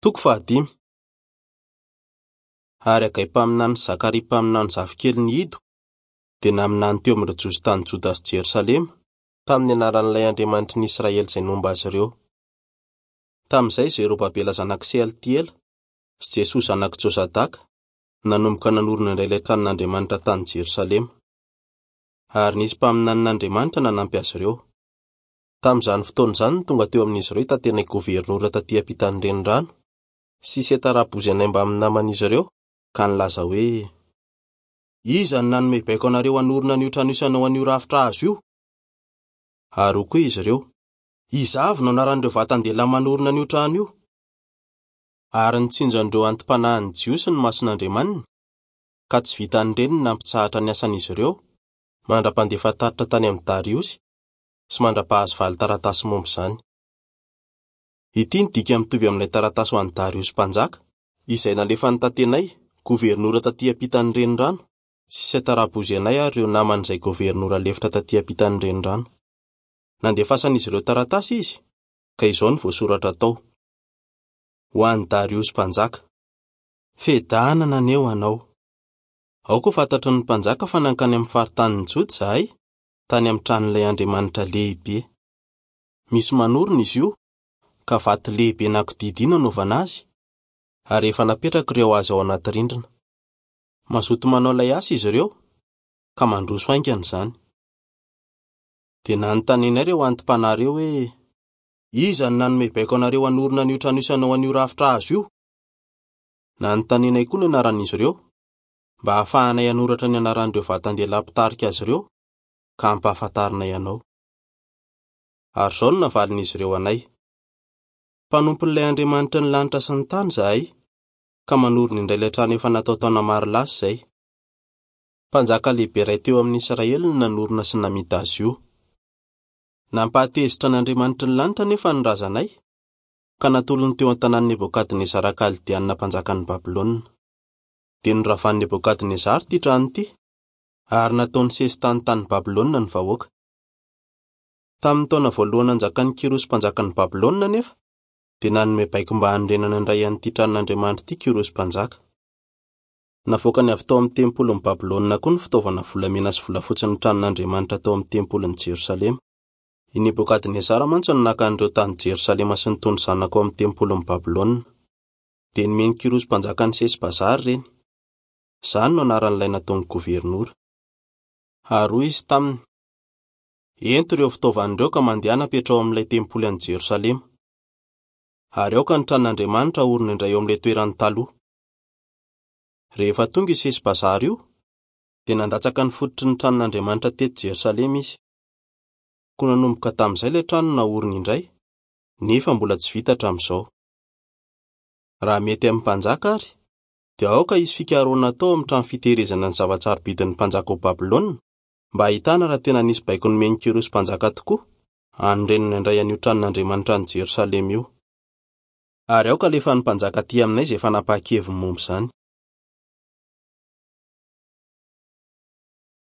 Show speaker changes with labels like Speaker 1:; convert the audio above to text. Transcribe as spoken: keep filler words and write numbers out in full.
Speaker 1: Toko fahadimy. Ary Hagay mpaminany sy Zakaria mpaminany zafikeliny Ido dia naminany teo amin'ireo Jiosy tany Joda sy Jerosalema tamin'ny anaran'ilay Andriamanitry ny Israely izay nomba azy ireo. Tamin'izay Zerobabela zanak'i Sealtiela sy Jesoa zanak'i Jozadaka nanomboka nanorina indray ilay tranon'Andriamanitra tany Jerosalema. Ary nisy mpaminanin'Andriamanitra nanampy azy ireo. Tamin'izany fotoana izany no tonga teo amin'izy ireo i Tatenay governora taty ampitan'ny renirano sy Setarabozenay mbamin'ny naman'izy ireo ka nilaza hoe: "Iza no nanome baiko anareo hanorina an'io trano io sy hanao an'io rafitra hazo io?" Ary hoy koa izy ireo: "Iza avy no anaran'ireo vatan-dehilahy manorina an'io trano io?" Ary nitsinjo an'ireo anti-panahin'ny Jiosy ny mason'Andriamaniny, ka tsy vitan'ireny ny nampitsahatra ny asan'izy ireo mandra-pandefa tatitra tany amin'i Dariosy sy mandra-pahazo valin-taratasy momba izany. Ity ny dika mitovy amin'ilay taratasy ho an'i Dariosy mpanjaka, izay nalefan'i Tatenay, governora taty ampitan'ny renirano, sy Setarabozenay ary ireo namany izay governora lefitra taty ampitan'ny renirano. Nandefasan'izy ireo taratasy izy, ka izao no voasoratra tao: "Ho an'i Dariosy mpanjaka. Fiadanana anie ho anao. Aoka ho fantatry ny mpanjaka fa nankany amin'ny faritanin'i Joda izahay, tany amin'ny tranon'ilay Andriamanitra lehibe. Misy manorina izy io, ka vato lehibe nankodidy no anaovana azy, ary efa napetraka ireo hazo ao anaty rindrina. Mazoto manao ilay asa izy ireo, ka mandroso haingana izany. Dia nanontanianay ireo anti-panahy ireo hoe: "Iza no nanome baiko anareo hanorina an'io trano io sy hanao an'io rafitra hazo io?" Nanontanianay koa ny anaran'izy ireo, mba hahafahanay hanoratra ny anaran'ireo vatan-dehilahy mpitarika azy ireo, ka hampahafantarinay anao. Ary izao no navalin'izy ireo anay: "Mpanompon'ilay Andriamanitry ny lanitra sy ny tany izahay, ka manorina indray ilay trano efa natao taona maro lasa izay. Mpanjaka lehibe iray teo amin'ny Israely no nanorina sy namita azy io. Nampahatezitra an'Andriamanitry ny lanitra anefa ny razanay, ka natolony teo an-tanàn'i Nebokadnezara Kaldeanina mpanjakan'i Babylona. Dia noravan'i Nebokadnezara ity trano ity, ary nataony sesitany tany Babylona ny vahoaka. Tamin'ny taona voalohany nanjakan'i Kyrosy mpanjakan'i Babylona anefa, dia nanome baiko mba hanorenana indray an'ity tranon'Andriamanitra ity Kyrosy mpanjaka. Navoakany avy tao amin'ny tempolin'i Babylona koa ny fitaovana volamena sy volafotsin'ny tranon'Andriamanitra tao amin'ny tempolin'i Jerosalema. I Nebokadnezara mantsy no naka an'ireo tany Jerosalema sy nitondra izany nankao amin'ny tempolin'i Babylona. Dia nomen'i Kyrosy mpanjakan'i Sesbazara ireny. Izany no anaran'ilay nataon'ny governora. Ary hoy izy taminy: "Ento ireo fitaovana ireo ka mandehana apetraho amin'ilay tempoly any Jerosalema. Ary aoka ny tranon'Andriamanitra haorina indray eo amin'ilay toerany taloha." Rehefa tonga i Sesbazara io, dia nandatsaka ny fototry ny tranon'Andriamanitra teto Jerosalema izy. Koa nanomboka tamin'izay ilay trano naorina indray, nefa mbola tsy vita hatramin'izao. Raha mety amin'ny mpanjaka ary, dia aoka hisy fikarohana atao amin'ny trano fitehirizana ny zava-tsarobidin'ny mpanjaka ao Babylona, mba hahitana raha tena nisy baiko nomen'i Kyrosy mpanjaka tokoa hanorenana indray an'io tranon'Andriamanitra any Jerosalema io. Ary aoka alefan'ny mpanjaka aty aminay izay fanapahan-keviny momba izany.